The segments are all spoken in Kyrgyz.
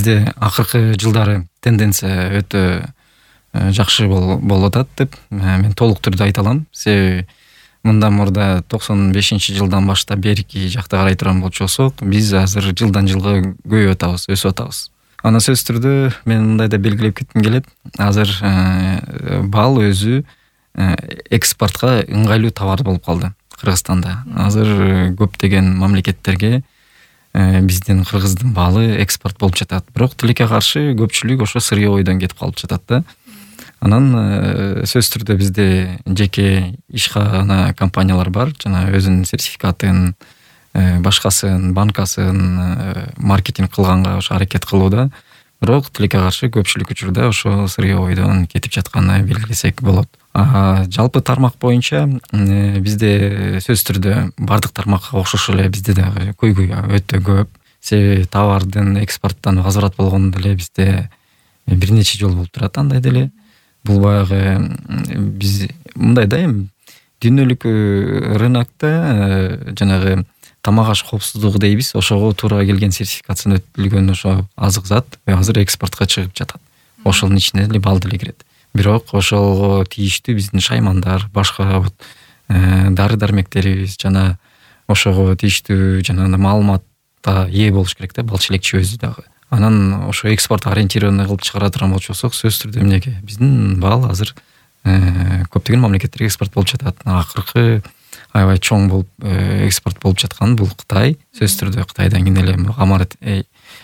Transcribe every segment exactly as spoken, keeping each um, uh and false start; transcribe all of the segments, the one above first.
бизде акыркы жылдары тенденция өтө жакшы болуп атат деп мен толук түрдө айта алам. Себеби мындан мурда токсон бешинчи жылдан баштап берки жакта карай турган болчусок, биз азыр жылдан жылга көбөйүп атабыз, өсүп атабыз. Ана сөзсүз түрдө мен мындай да белгилеп кетким келет. Азыр бал өзү экспортко ыңгайлуу товар болуп калды Кыргызстанда. Азыр көптөгөн мамлекеттерге биздин Кыргыздын балы экспорт болуп жатат. Бирок тилекке каршы көпчүлүк ошо сырьёойдон кетип калып жатат да. Анан сөзсүз түрдө бизде жеке ишкана компаниялар бар, жана өзүнүн сертификатын, башкасын, банкасын маркетинг кылганга ошо аракет кылууда. Бирок тилекке каршы көпчүлүк учурда ошо сырьёойдон кетип жатканын белгилесек болот. А жалпы тармак боюнча бизде сөзсүз түрдө бардык тармакка окшош эле бизде дагы көйгөй өтө көп. Себеби товардын экспорттон возврат болгону деле бизде бир нече жол болуп турат андай деле. Бул баягы биз мындай да эми дүйнөлүк рынокто жанагы тамак аш коопсуздугу дейбиз, ошого туура келген сертификацияны өтүлгөн ошо азык зат азыр экспортко чыгып жатат. Ошонун ичине эле бал деле кирет. Бирок ошого тийиштүү биздин шаймандар, башка дары дармектерибиз жана ошого тийиштүү жана маалыматка ээ болуш керек да, бал челекчи өзү дагы. Анан ошо экспорт ориентированный кылып чыгара турган болчусок, сөзсүз түрдө эмнеге биздин бал азыр көптөгөн мамлекеттерге экспорт болуп жатат. Акыркы аябай чоң болуп экспорт болуп жаткан бул Кытай. Сөзсүз түрдө Кытайдан кийин эле Амарат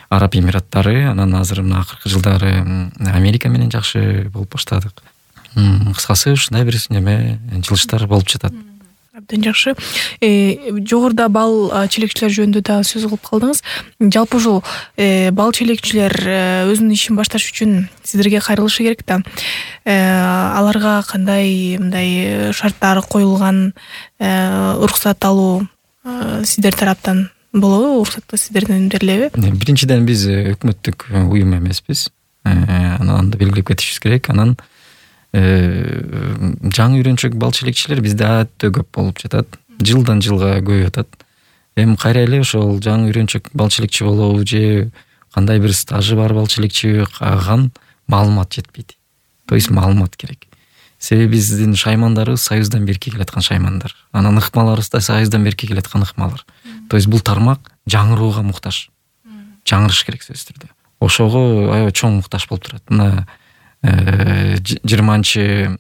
Араб Эмираттары, анан азыр мына акыркы жылдары Америка менен жакшы болуп баштадык. Кыскасы ушундай бир неме жылыштар болуп жатат. Абдан жакшы. Жогоруда бал челекчилер жөнүндө да сөз кылып калдыңыз. Жалпы ушул бал челекчилер өзүнүн ишин башташ үчүн сиздерге кайрылышы керек да. Аларга кандай мындай шарттар коюлган, уруксат алуу сиздер тараптан болобу? Уруксатты сиздерден берилеби? Биринчиден биз өкмөттүк уюм эмеспиз. Анан да белгилеп кетишибиз керек. Анан жаңы үйрөнчөк бал челекчилер бизде өтө көп болуп жатат. Жылдан жылга көбөйүп атат. Эми кайра эле ошол жаңы үйрөнчөк бал челекчи болобу же кандай бир стажы бар бал челекчи каган маалымат жетпейт. То есть маалымат керек. Себеби биздин шаймандарыбыз Союздан берки келаткан шаймандар. Анан ыкмаларыбыз да Союздан берки келаткан ыкмалар. То есть бул тармак жаңырууга муктаж. Жаңырыш керек сөзсүз түрдө. Ошого аябай чоң муктаж болуп турат. Мына жыйырманчы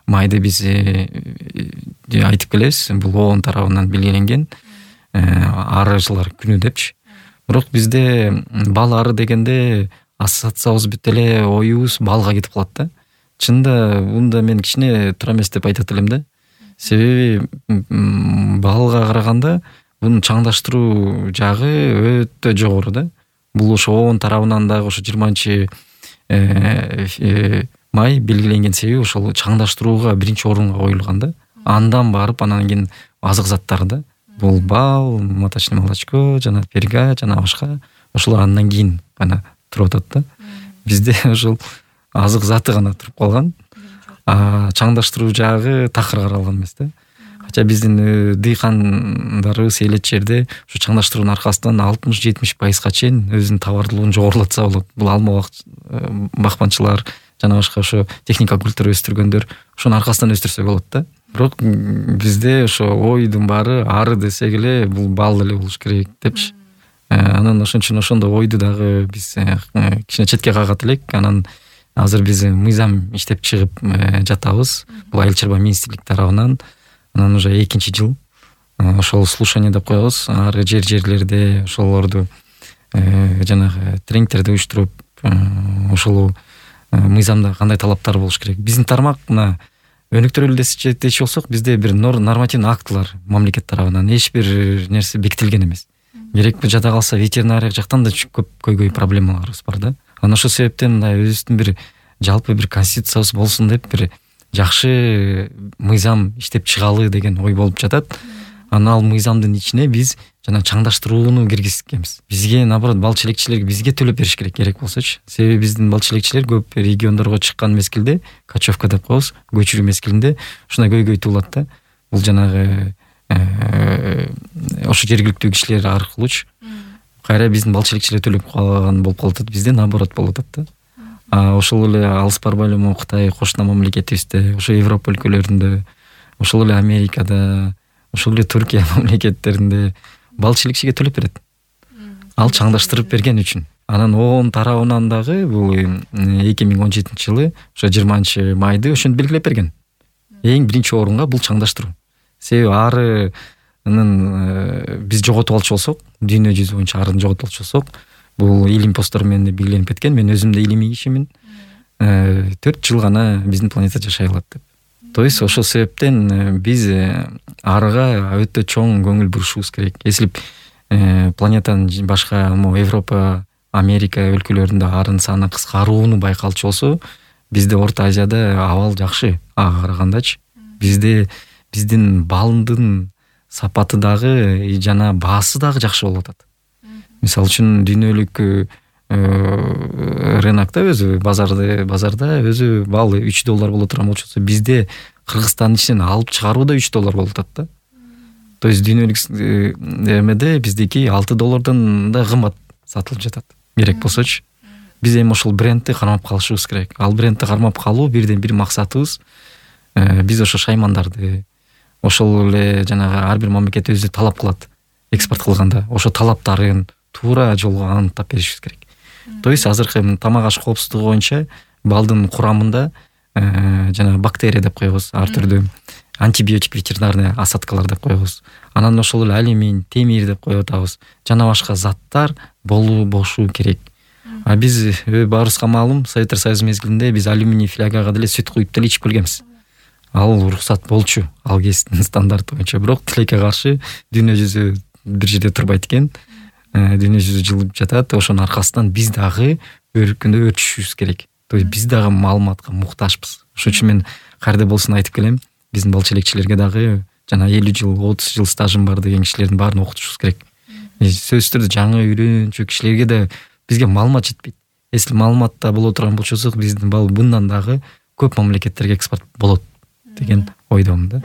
майда биз айтып келебиз, бул ООН тарабынан белгиленген арыжылар күнү депчи. Бирок бизде бал ары дегенде ассоциациябыз бүт эле оюбуз балга кетип калат да. Чында мында мен кичине туура эмес деп айтат элем да. Себеби балга караганда мунун чаңдаштыруу жагы өтө жогору да. Бул ошо ООН тарабынан дагы ошо жыйырманчы май белгиленген себеби ошол чаңдаштырууга биринчи орунга коюлган да. Андан барып анан кийин азык заттары да. Бул бал, маточное молочко, жана перга, жана башка ошолор андан кийин гана туруп атат да. Бизде ошол азык заты гана туруп калган. А чаңдаштыруу жагы такыр каралган эмес да. Хотя биздин дыйкандарыбыз элет жерде ушу чаңдаштыруунун аркасынан алтымыш жетимиш пайызга чейин өзүнүн товарлуулугун жогорулатса болот. Бул алма бакманчылар жана башка ошо техника культура өстүргөндөр ошонун аркасынан өстүрсө болот да. Бирок бизде ошо ойдун баары ары десек эле бул бал эле болуш керек депчи. Анан ошон үчүн ошондой ойду дагы биз кичине четке кагат элек. Анан азыр биз мыйзам иштеп чыгып жатабыз. Бул Айыл чарба министрлик тарабынан. Анан уже экинчи жыл ошол слушание деп коебуз. Ар жер жерлерде ошолорду жанагы тренингтерди уюштуруп, ошол мыйзамда кандай талаптар болуш керек. Биздин тармак мына өнүктүрөлү дечи болсок, бизде бир нормативный актылар мамлекет тарабынан эч бир нерсе бекитилген эмес. Керек жада калса ветеринария жактан да көп көйгөй проблемаларыбыз бар да. Анан ошол себептен мындай өзүбүздүн бир жалпы бир конституциябыз болсун деп бир жакшы мыйзам иштеп чыгалы деген ой болуп жатат. Анан ал мыйзамдын ичине биз жана чаңдаштырууну киргизгенбиз. Бизге наоборот бал челекчилерге бизге төлөп бериш керек керек болсочу. Себеби биздин бал челекчилер көп региондорго чыккан мезгилде, кочевка деп коебуз, көчүрүү мезгилинде ушундай көйгөй туулат да. Бул жанагы ошо жергиликтүү кишилер аркылуучу кайра биздин бал челекчилер төлөп калган болуп калып атат, бизде наоборот болуп атат да. А ошол эле алыс барбай эле могу Кытай кошуна мамлекетибизде, ошо Европа өлкөлөрүндө, ошол эле Америкада, ошол эле Түркия мамлекеттеринде бал челекчиге төлөп берет. Ал чаңдаштырып берген үчүн. Анан оон тарабынан дагы бул эки миң он жетинчи жылы ошо жыйырманчы майды ошентип белгилеп берген. Эң биринчи орунга бул чаңдаштыруу. Себеби арынын биз жоготуп алчу болсок, дүйнө жүзү боюнча арын жоготуп алчу болсок, бул илим посттор менен белгиленип кеткен. Мен өзүм да илимий кишимин. төрт жыл гана биздин планета жашай алат деп. То есть ошол себептен биз арыга өтө чоң көңүл бурушубуз керек. Эслеп планетанын башка Европа, Америка өлкөлөрүндө арын саны кыскарууну байкалчу болсо, бизде Орто Азияда абал жакшы ага карагандачы. Бизде биздин балдын сапаты дагы жана баасы дагы жакшы болуп атат. Мисалы үчүн дүйнөлүк рынокто өзү базарды базарда өзү бал үч доллар боло турган болчу, бизде Кыргызстандын ичинен алып чыгарууда үч доллар болуп атат да. То есть дүйнөлүк эмеде биздики алты доллардан да кымбат сатылып жатат. Керек болсочу. Биз эми ошол брендти кармап калышыбыз керек. Ал брендти кармап калуу бирден бир максатыбыз. Биз ошо шаймандарды, ошол эле жанагы ар бир мамлекет өзү талап кылат экспорт кылганда. Ошо талаптарын туура жолго аныктап беришибиз керек. То есть азыркы тамак аш коопсуздугу боюнча балдын курамында жана бактерия деп коебуз, ар түрдүү антибиотик ветеринарный осадкалар деп коебуз. Анан ошол эле алюминий, темир деп коюп атабыз. Жана башка заттар болуу бошу керек. А биз баарыбызга маалым, Советтер Союзу мезгилинде биз алюминий флягага деле сүт куюп деле ичип келгенбиз. Ал уруксат болчу, ал кездин стандарты боюнча. Бирок тилекке каршы дүйнө жүзү бир жерде турбайт экен. Дүйнө жүзү жылып жатат. Ошонун аркасынан биз дагы өркүндө өтүшүбүз керек. То есть биз дагы маалыматка муктажбыз. Ошон үчүн мен кайда болсун айтып келем, биздин бал челекчилерге дагы жана элүү жыл, отуз жыл стажым бар деген кишилердин баарын окутушубуз керек. Сөзсүз түрдө жаңы үйрөнчү кишилерге да бизге маалымат жетпейт. Если маалыматта боло турган болсок, биздин бал мындан дагы көп мамлекеттерге экспорт болот деген ойдомун да.